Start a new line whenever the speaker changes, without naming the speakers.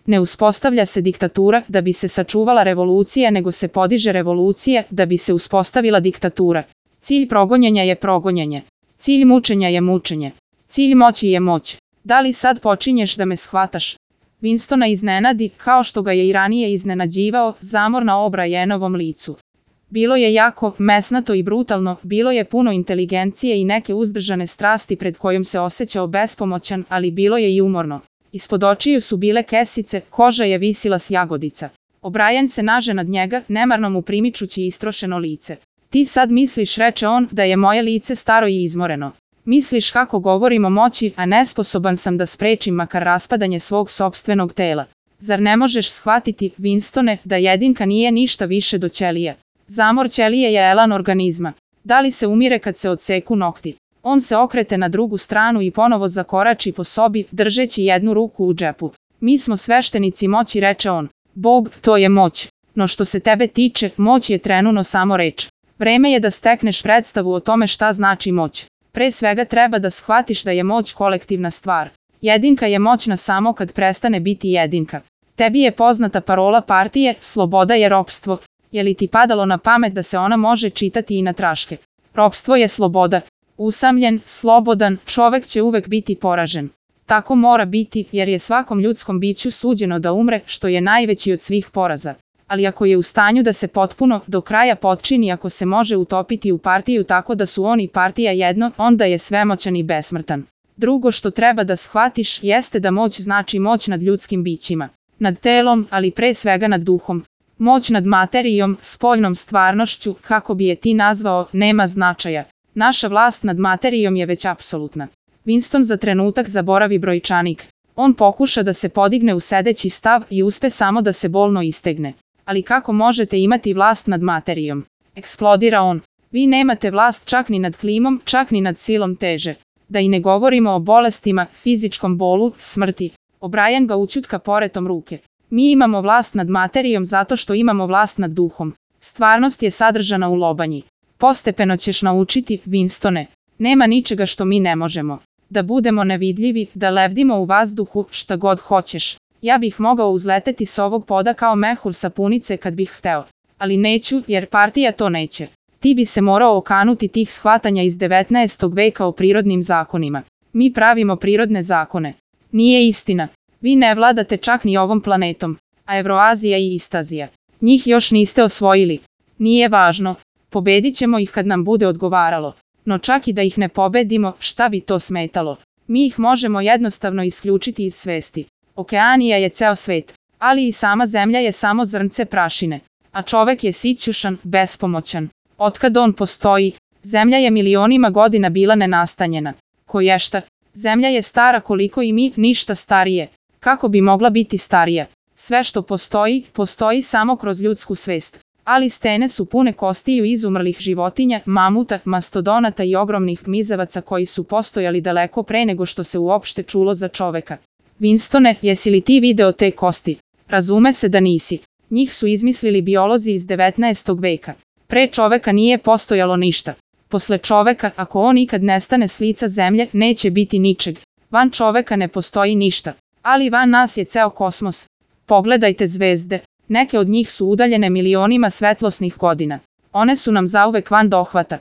Ne uspostavlja se diktatura da bi se sačuvala revolucija, nego se podiže revolucija da bi se uspostavila diktatura. Cilj progonjenja je progonjenje. Cilj mučenja je mučenje. Cilj moći je moć. Da li sad počinješ da me shvataš? Winstona iznenadi, kao što ga je i ranije iznenađivao, zamor na O'Brienovom licu. Bilo je jako, mesnato i brutalno, bilo je puno inteligencije i neke uzdržane strasti pred kojom se osjećao bespomoćan, ali bilo je i umorno. Ispod očiju su bile kesice, koža je visila s jagodica. O'Brien se naže nad njega, nemarno mu primičući istrošeno lice. Ti sad misliš, reče on, da je moje lice staro i izmoreno. Misliš kako govorim o moći, a nesposoban sam da sprečim makar raspadanje svog sopstvenog tela. Zar ne možeš shvatiti, Winstone, da jedinka nije ništa više do ćelije? Zamor ćelije je elan organizma. Da li se umire kad se odseku nokti? On se okrete na drugu stranu i ponovo zakorači po sobi, držeći jednu ruku u džepu. Mi smo sveštenici moći, reče on. Bog, to je moć. No što se tebe tiče, moć je trenutno samo reč. Vreme je da stekneš predstavu o tome šta znači moć. Pre svega treba da shvatiš da je moć kolektivna stvar. Jedinka je moćna samo kad prestane biti jedinka. Tebi je poznata parola partije, sloboda je ropstvo. Je li ti padalo na pamet da se ona može čitati i na traške? Ropstvo je sloboda. Usamljen, slobodan, čovek će uvek biti poražen. Tako mora biti, jer je svakom ljudskom biću suđeno da umre, što je najveći od svih poraza. Ali ako je u stanju da se potpuno, do kraja potčini, ako se može utopiti u partiju tako da su on i partija jedno, onda je svemoćan i besmrtan. Drugo što treba da shvatiš jeste da moć znači moć nad ljudskim bićima. Nad telom, ali pre svega nad duhom. Moć nad materijom, spoljnom stvarnošću, kako bi je ti nazvao, nema značaja. Naša vlast nad materijom je već apsolutna. Winston za trenutak zaboravi brojčanik. On pokuša da se podigne u sedeći stav i uspe samo da se bolno istegne. Ali kako možete imati vlast nad materijom? Eksplodira on. Vi nemate vlast čak ni nad klimom, čak ni nad silom teže. Da i ne govorimo o bolestima, fizičkom bolu, smrti. O'Brien ga ućutka poretom ruke. Mi imamo vlast nad materijom zato što imamo vlast nad duhom. Stvarnost je sadržana u lobanji. Postepeno ćeš naučiti, Winstone. Nema ničega što mi ne možemo. Da budemo nevidljivi, da lebdimo u vazduhu, šta god hoćeš. Ja bih mogao uzleteti s ovog poda kao mehur sa punice kad bih hteo. Ali neću, jer partija to neće. Ti bi se morao okanuti tih shvatanja iz 19. veka o prirodnim zakonima. Mi pravimo prirodne zakone. Nije istina. Vi ne vladate čak ni ovom planetom. A Evroazija i Istazija. Njih još niste osvojili. Nije važno. Pobedit ćemo ih kad nam bude odgovaralo. No čak i da ih ne pobedimo, šta bi to smetalo? Mi ih možemo jednostavno isključiti iz svesti. Okeanija je ceo svet, ali i sama zemlja je samo zrnce prašine. A čovek je sićušan, bespomoćan. Otkad on postoji, zemlja je milionima godina bila nenastanjena. Koješta, zemlja je stara koliko i mi, ništa starije. Kako bi mogla biti starija? Sve što postoji, postoji samo kroz ljudsku svest. Ali stene su pune kostiju izumrlih životinja, mamuta, mastodonata i ogromnih gmizavaca koji su postojali daleko pre nego što se uopšte čulo za čoveka. Winstone, jesi li ti video te kosti? Razume se da nisi. Njih su izmislili biolozi iz 19. veka. Pre čoveka nije postojalo ništa. Posle čoveka, ako on ikad nestane s lica zemlje, neće biti ničeg. Van čoveka ne postoji ništa. Ali van nas je ceo kosmos. Pogledajte zvezde. Neke od njih su udaljene milionima svetlosnih godina. One su nam zauvek van dohvata.